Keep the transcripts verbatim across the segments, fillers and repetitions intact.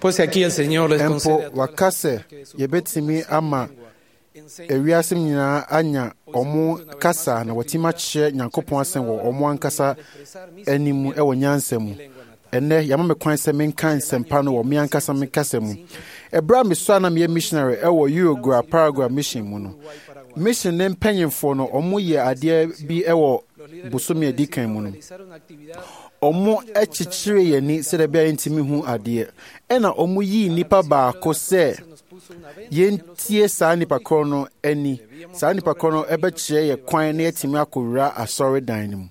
Pues aquí el Señor les Mpo concede a todas waka las sɛ personas que de su yɛbɛtumi propia ama lengua enseñen ewiase nyinaa anya ɔmo kasa na wɔatumi akyerɛ Nyankopɔn asɛm wɔ ɔmo ankasa anim wɔ nyansa mu. Ɛnnɛ, yɛama me kwan sɛ menka nsɛmpa no wɔ me ankasa me kasa mu. Ɛberɛ a mesɔre a na meyɛ missionary ɛwɔ Uruguay Paraguay mission mu no, mission ne mpanyimfoɔ no, ɔmo yɛ adeɛ bi ɛwɔ bosome a ɛdi kan mu no. Ɔmo kyekyere yɛn ani sɛdeɛ ɛbɛyɛ a yɛntumi hu adeɛ. Ɛna ɔmo yii nnipa baako sɛ yɛntie saa nnipa korɔ no ani. Saa nnipa korɔ no ɛbɛkyerɛ yɛ kwan na yɛatumi akɔwura asɔredan no mu.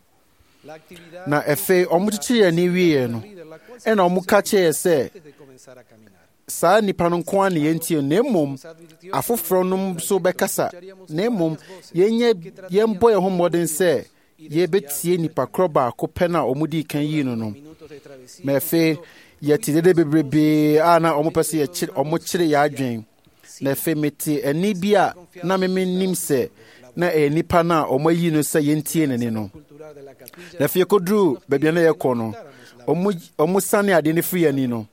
Na afei ɔmo kyekyere yɛn ani wieɛ no, ɛna ɔmo ka kyerɛ yɛ sɛ saa nnipa no nko ara na yɛntie na mmom afoforɔ no nso bɛkasa na mmom yɛnyɛ yɛmbɔ yɛn ho mmɔden sɛ yɛbɛtie nnipa korɔ baako pɛ no a ɔmo dii kan yii no no. Ma afei yɛte dede bebrebee a na ɔmo pɛ sɛ yɛkyere ɔmo kyere yɛn adwene. Na afei mete ɛnne bi a na me mennim sɛ na ɛyɛ nnipa no a ɔmo ayi no sɛ yɛntie n'ani no. Na afei yɛkɔduruu baabi a na yɛkɔ no, ɔmo ɔmo sane adeɛ no firi yɛn ani no,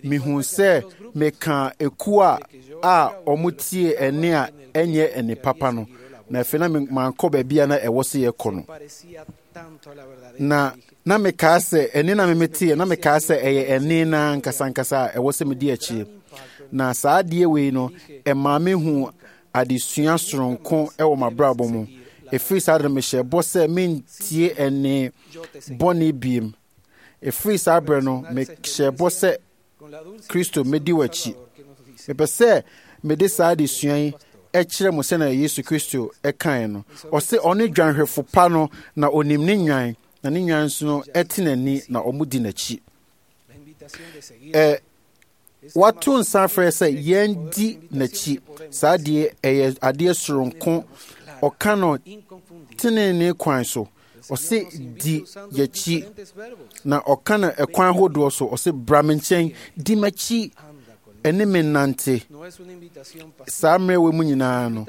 mehuu sɛ meka ekuo a a ɔmo tie ɛnne a ɛnyɛ ɛnne papa no. Na afei na me- mankɔ baabi a na ɛwɔ sɛ yɛkɔ no. Na na mekaa sɛ ɛnne na memeteɛ na mekaa sɛ ɛyɛ ɛnne na ankasa ankasa a ɛwɔ sɛ medi akyire. Na saa adeɛ wei no, ɛmaa mehu adesua soronko ɛwɔ m'abrabɔ mu. Ɛfiri saa de no mehyɛ bɔ sɛ mentie ɛnne bɔne biem. Ɛfiri saa berɛ no, mehyɛ bɔ sɛ Kristo mɛdi w'akyi. Mepɛ sɛ mede saa adesua yi ɛkyerɛ mo sɛnea Yesu Kristo ɛkae no. Ɔse ɔne dwanhwɛfo pa no na onim ne nnwan, na ne nnwan nso no ɛte n'ani na ɔmo di n'akyi. Ɛ wato nsa afrɛ sɛ yɛndi n'akyi. Saa adeɛ ɛyɛ adeɛ soronko. Ɔka no tenenee kwan so. Ɔse di y'akyi na ɔka no ɛkwan ahodoɔ so. Ɔse bra me nkyɛn, di m'akyi, ɛne me nnante. Saa mmerɛ wei mu nyinaa no,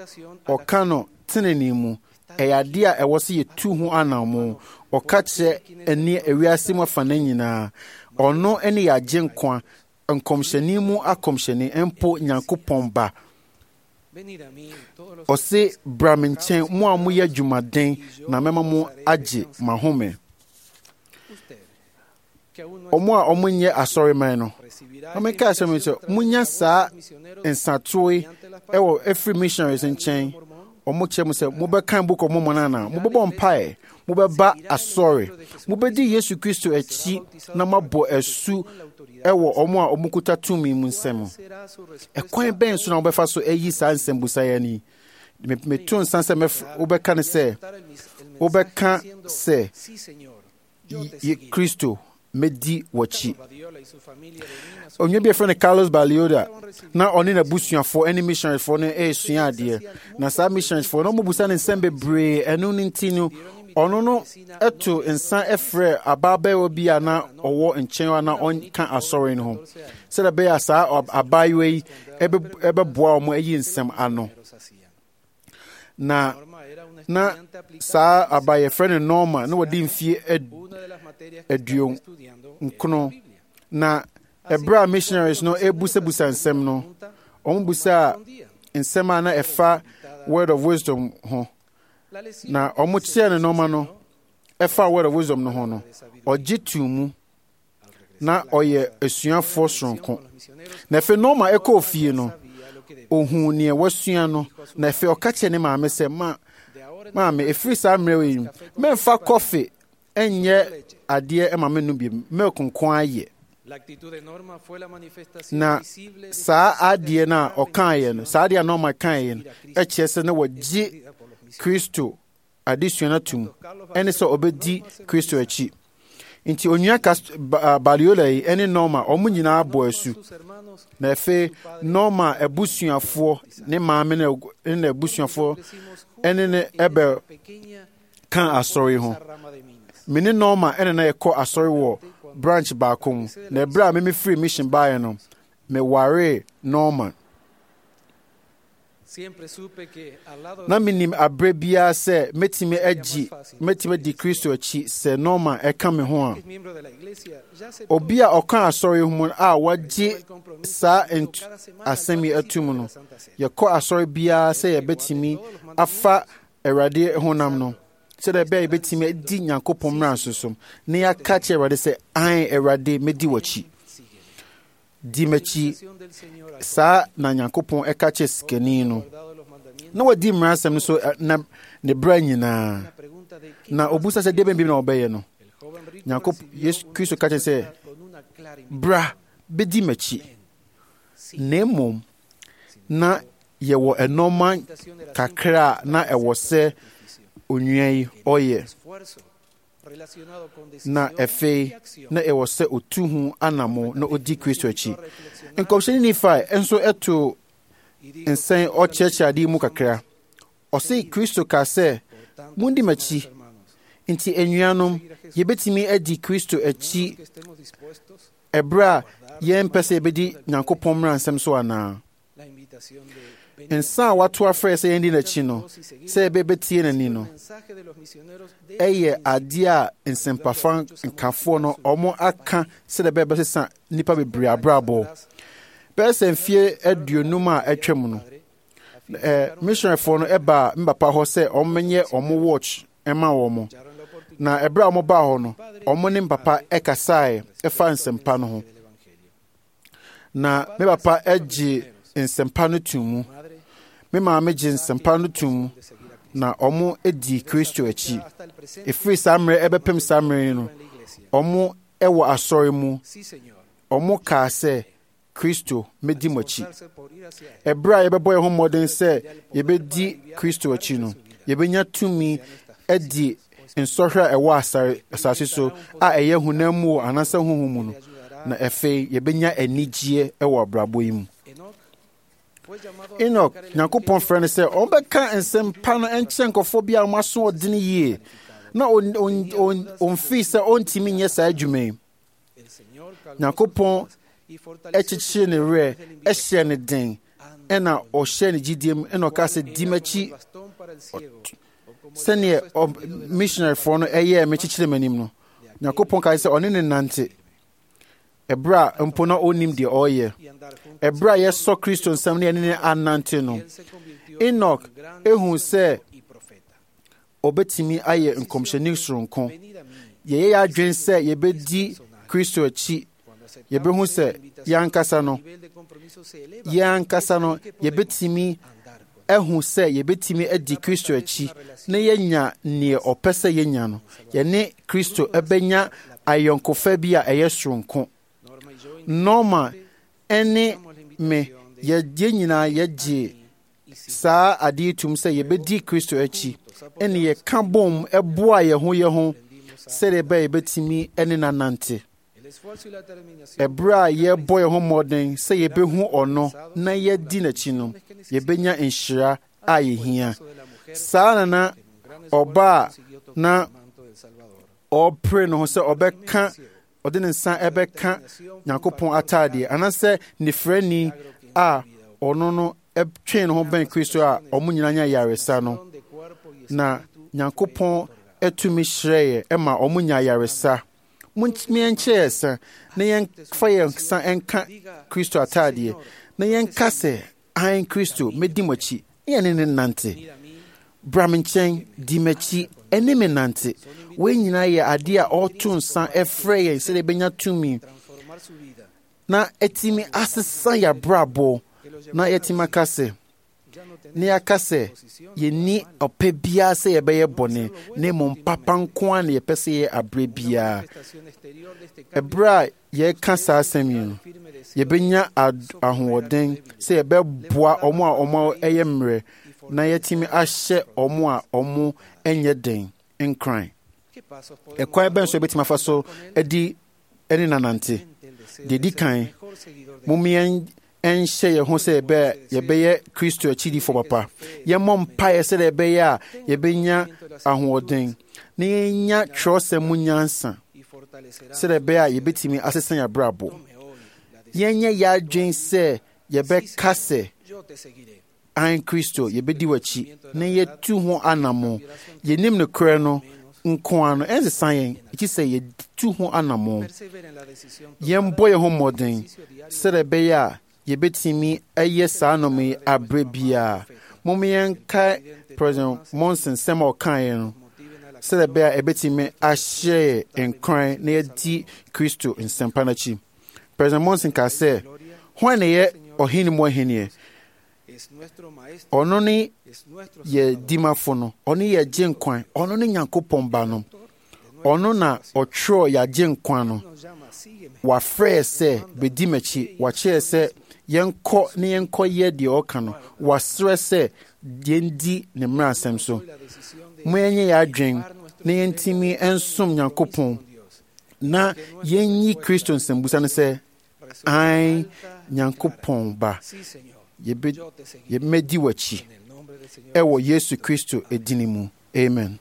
ɔka no tenenee mu. Ɛyɛ adeɛ a ɛwɔ sɛ yɛtu ho anammɔn. Ɔka kyerɛ ɛne ewiase mu afanan nyinaa. Ɔno ne yɛn agyenkwa, nkɔmhyɛni mu akɔmhyɛni, mpo Nyankopɔn ba. Ɔse bra me nkyɛn, mo a moyɛ adwumaden, na mɛma mo agye mo ahome. Ɔmo a ɔmo nyɛ asɔreman no, na menka asɛm yi sɛ monya saa nsatoe ɛwɔ ɛfiri missionaries nkyɛn. Ɔmo kyerɛ mo sɛ mobɛkan Book of Mormon anaa, mobɛbɔ mpaeɛ, mobɛba asɔre, mobɛdi Yesu Kristo akyi na moabɔ asu ɛwɔ ɔmo a ɔmo kuta tumi mu nsam. Ɛkwan bɛn so na wobɛfa so ayi saa nsɛmbusa yi? Me- Meto nsa sɛ mɛf- wobɛka ne sɛ wobɛka sɛ "Ye- Kristo mɛdi w'akyi. Onua bi a yɛfrɛ no Carlos Balioda na ɔne n'abusuafoɔ ne missionaryfoɔ no resua adeɛ. Na saa missionaryfoɔ no ɔmobusa no nsɛm bebree. Ɛno no nti no, ɔno no to nsa frɛ abaabayewa bi a na ɔwɔ nkyɛn a na ɔnka asɔre no ho sɛdeɛ ɛbɛyɛ a saa ɔb- abaayewa yi ɛbɛ- ɛbɛboa wɔn ayi nsɛm ano. Na na saa abaa yɛfrɛ no Norma na wɔde mfie ad- aduon nkono. Na ɛberɛ a missionaries no ebusabusa nsɛm no, wɔn busaa nsɛm a na ɛfa Word of Wisdom ho. Na wɔn kyerɛɛ no nneɛma no ɛfa Word of Wisdom no ho no, ɔgye too mu na ɔyɛ asuafoɔ soronko. Na afei Norma ɛkɔɔ fie no, ohuu nea wasua no, na afei ɔka kyerɛɛ ne maame sɛ, ma maame, ɛfiri saa mmerɛ yi, mɛmfa kɔfe ɛnyɛ adeɛ ɛma me nom bi, milk nko ara yɛ. Na saa adeɛ no a ɔkaeɛ no, saa adeɛ a Norma kaeɛ no, ɛkyerɛ sɛ na wɔgye Kristo adesua no atom, ɛne sɛ ɔbɛdi Kristo akyi. Nti onua Cast- Ba- ah, Baliola yi ɛne Norma, wɔn nyinaa bɔ asu. Na afei Norma abusuafoɔ, ne maame ne ne n'abusuafoɔ ɛne ne ɛbɛ ka asɔre ho. Me ne Norma ɛna na yɛkɔ asɔre wɔ branch baako mu. Na ɛberɛ a meme firi mission baeɛ no, mewaree Norma. Na menim aberɛ biara sɛ mɛtumi agyi mɛtumi adi Kristo akyi sɛ Norma ɛka me ho a. Obi a ɔka asɔre ho mu a wagye saa asɛm yi atum no, yɛkɔ asɔre biara sɛ yɛbɛtumi afa Awurade honam no, sɛdeɛ ɛbɛyɛ yɛbɛtumi adi Nyankopɔn mmara so so, na yɛaka kyerɛ Awurade sɛ, ae Awurade, mɛdi w'akyi. Di m'akyi. Saa na Nyankopɔn ɛka kyerɛ sikani no. Na wadi mmara nsɛm no so na ne berɛ nyinaa. Na obusa sɛ deɛ bɛn bi na ɔbɛyɛ no. Nyankopɔn Yesu Kristo ka kyerɛ sɛ, bra bɛdi m'akyi. Na mmom na yɛwɔ nneɛma kakra a na ɛwɔ sɛ onua yi ɔyɛ. Na afei na ɛwɔ sɛ otu ho anamo na odi Kristo akyi. Nkɔmhyɛni Nifae nso ɛto nsɛn ɔkyerɛkyerɛ ade mu kakra. Ɔse Kristo ka sɛ, mundi m'akyi. Nti anuanom, yɛbɛtumi adi Kristo akyi ɛberɛ a yɛmpɛ sɛ yɛbɛdi Nyankopɔn mmara nsɛm so anaa? Nsa a wato afrɛ sɛ yɛndi n'akyi no, sɛ yɛbɛbɛtie n'ani no, ɛyɛ adeɛ a nsɛmpafa nkafoɔ no ɔmo aka sɛdeɛ ɛbɛyɛ bɛsesa nnipa bebree abrabɔ. Bɛyɛ sɛ mfie aduonum a atwam no, eh, missionaryfoɔ no ɛbaa me papa hɔ sɛ ɔmo nyɛ ɔmo watch ɛma wɔn. Na ɛberɛ a ɔmo baa hɔ no, ɔmo ne me papa ɛkasaeɛ ɛfa nsɛmpa no ho. Na me papa gye nsɛmpa no to mu. Me maame gye nsɛmpa no to mu, na ɔmo di Kristo akyi. Ɛfiri saa mmerɛ ɛbɛpem saa mmerɛ yi no, ɔmo ɛwɔ asɔre mu. Ɔmo kaa sɛ, Kristo, mɛdi mo akyi. Ɛberɛ a yɛbɛbɔ yɛn ho mmɔden sɛ yɛbɛdi Kristo akyi no, yɛbɛnya tumi adi nsɔhwɛ a ɛwɔ asare asase so a ɛyɛ honam mu anaasɛ honhom mu no, na afei yɛbɛnya anigyeɛ wɔ abrabɔ yi mu. Enoch, Nyankopɔn frɛ no sɛ ɔbɛka nsɛmpa no nkyerɛ nkurɔfoɔ bi a wɔn aso ɔdene yie, na ɔmfii sɛ ɔntumi nyɛ saa adwuma yi. Nyankopɔn kyekyere ne werɛ, ɛhyɛ ne den, ɛna ɔhyɛ ne gyidie mu, ɛna ɔka sɛ, di m'akyi sɛdeɛ missionaryfoɔ no ɛyɛɛ me kyekyere m'anim no. Nyankopɔn kae sɛ ɔne ne nante ɛberɛ a mpo na ɔnnim deɛ ɔreyɛ. Ɛberɛ a yɛsɔ Kristo nsɛm ne yɛne ne anante no, Enoch ehu sɛ ɔbɛtumi ayɛ nkɔmhyɛni soronko. Yɛyɛ yɛn adwene sɛ yɛbɛdi Kristo akyi, yɛbɛhu sɛ yɛn ankasa no, yɛn ankasa no, yɛbɛtumi ahu sɛ yɛbɛtumi adi Kristo akyi na yɛanya neɛ ɔpɛ sɛ yɛnya no. Yɛne Kristo ɛbɛnya ayɔnkofa bi a ɛyɛ soronko. Norma ɛne me, yɛn nyinaa yɛgye saa adeɛ tum sɛ yɛbɛdi Kristo akyi, ɛne yɛka bom ɛboa yɛn ho yɛn ho sɛdeɛ ɛbɛyɛ yɛbɛtumi ɛne no anante. Ɛberɛ a yɛbɔ yɛn ho mmɔden sɛ yɛbɛhu ɔno na yɛdi n'akyi no, yɛbɛnya nhyira a yɛhia. Saa na na ɔbaa na ɔrepere ne ho sɛ ɔbɛka ɔde ne nsa ɛbɛka Nyankopɔn ataadeɛ anaasɛ nifrani a ɔno no twee ne ho bɛn Kristo a ɔmo nyinaa nya yaresa no, na Nyankopɔn atumi hyerɛeɛ ɛma ɔmo nya yaresa. Montumi nkyerɛ yɛn nsa na yɛmfa yɛn nsa nka Kristo ataadeɛ na yɛnka sɛ, ae Kristo, mɛdi mo akyi, na yɛne ne nante. Bra me nkyɛn, di m'akyi, ɛne me nante. Wei nyinaa yɛ adeɛ a ɔreto nsa ɛfrɛ yɛn sɛdeɛ yɛbɛnya tumi na ɛtumi asesa yɛn abrabɔ na yɛtumi aka sɛ, na yɛaka sɛ yɛnni ɔpɛ biara sɛ yɛbɛyɛ bɔne, na mmom papa nko ara na yɛpɛ sɛ yɛyɛ aberɛ biara. Ɛberɛ a yɛreka saa asɛm yi no, yɛbɛnya ahoɔden sɛ yɛbɛboa ɔmo a ɔmo yɛ mmerɛ na yɛatumi ahyɛ ɔmo a ɔmo nyɛ den nkran. Ɛkwan bɛn so yɛbɛtumi afa so adi ɛne nanante? Deɛ di kan, mom yɛn ɛnhyɛ yɛn ho sɛ yɛbɛyɛ Kristo akyidifoɔ papa. Yɛmmɔ mpaeɛ sɛdeɛ ɛbɛyɛ a yɛbɛnya ahoɔden na yɛnya twerɛsɛm mu nyansa sɛdeɛ ɛbɛyɛ a yɛbɛtumi asesa yɛn abrabɔ. Yɛnyɛ yɛn adwene sɛ yɛbɛka sɛ, An Kristo, yɛbɛdi w'akyi na yɛtu ho anammɔn. Yɛnim nokorɛ no nko ara no, ɛnsesa yɛn, gye sɛ yɛtu ho anammɔn. Yɛmbɔ yɛn ho mmɔden sɛdeɛ ɛbɛyɛ a yɛbɛtumi ayɛ saa nnoɔma yi aberɛ biara. Momma yɛnkae President Monson nsɛm a ɔkaeɛ no sɛdeɛ ɛbɛyɛ a ɛbɛtumi ahyɛ yɛn nkuran na yɛadi Kristo nsɛmpa no akyi. President Monson kaa sɛ, Hwan na ɛyɛ ɔhene mu ahenniɛ? Ɔno ne yɛ dimafo no, ɔno yɛ gye nkwa, ɔno ne Nyankopɔn ba no. Ɔno na ɔtwerɛ yɛagye nkwa no. Wafrɛ sɛ bɛdi m'akyi, wakyerɛ sɛ yɛnkɔ ne yɛnkɔyɛ deɛ ɔka no. Wasrɛ sɛ yɛndi ne mmaransɛm so. Mo yɛnyɛ yɛn adwen na yɛntumi nsom Nyankopɔn na yɛnyi Kristo nsɛmbusa no sɛ, Aane, Nyankopɔn ba, yɛbɛdi w'akyi ɛwɔ Yesu Kristo edin mu. Amen.